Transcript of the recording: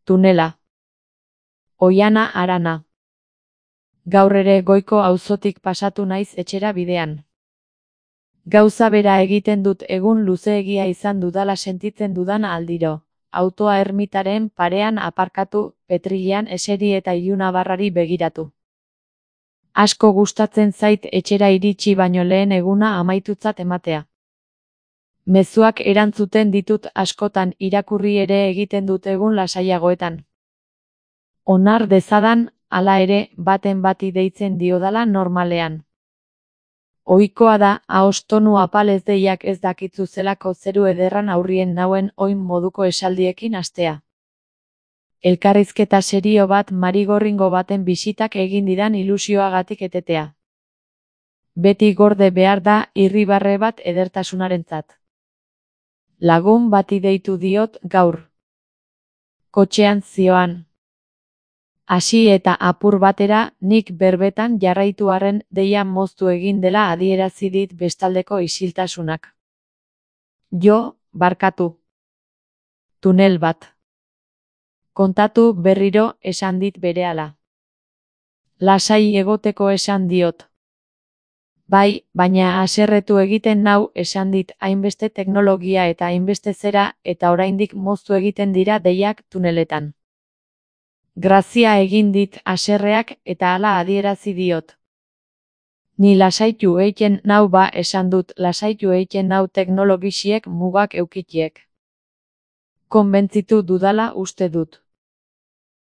Tunela. Oiana Arana. Gaur ere Goiko auzotik pasatu naiz etxera bidean. Gauza bera egiten dut egun luzeegia izan dudala sentitzen dudan aldiro. Autoa ermitaren parean aparkatu, petrilean eseri eta ilunabarrari begiratu. Asko gustatzen zait etxera iritsi baino lehen eguna amaitutzat ematea. Mezuak erantzuten ditut askotan, irakurri ere egiten dut egun lasaiagoetan. Onar dezadan, hala ere, baten bati deitzen diodala normalean. Ohikoa da, ahos tonu apalez deiak ez dakitzu zelako zeru ederran aurrien nauen oin moduko esaldiekin hastea. Elkarrizketa serio bat marigorringo baten bisitak egin didan ilusioagatik etetea. Beti gorde behar da irribarre bat edertasunarentzat. Lagun bati deitu diot gaur. Kotxean zioan. Hasi eta apur batera, nik berbetan jarraitu arren deia moztu egin dela adierazi dit bestaldeko isiltasunak. Jo, barkatu. Tunel bat. Kontatu berriro esan dit berehala. Lasai egoteko esan diot. Bai, baina haserretu egiten nau esan dit hainbeste teknologia eta hainbeste zera eta oraindik moztu egiten dira deiak tuneletan. Grazia egin dit haserreak eta hala adierazi diot. Ni lasaitu eiten nau ba esan dut lasaitu eiten nau teknologisiek mugak eukitiek. Konbentzitu dudala uste dut.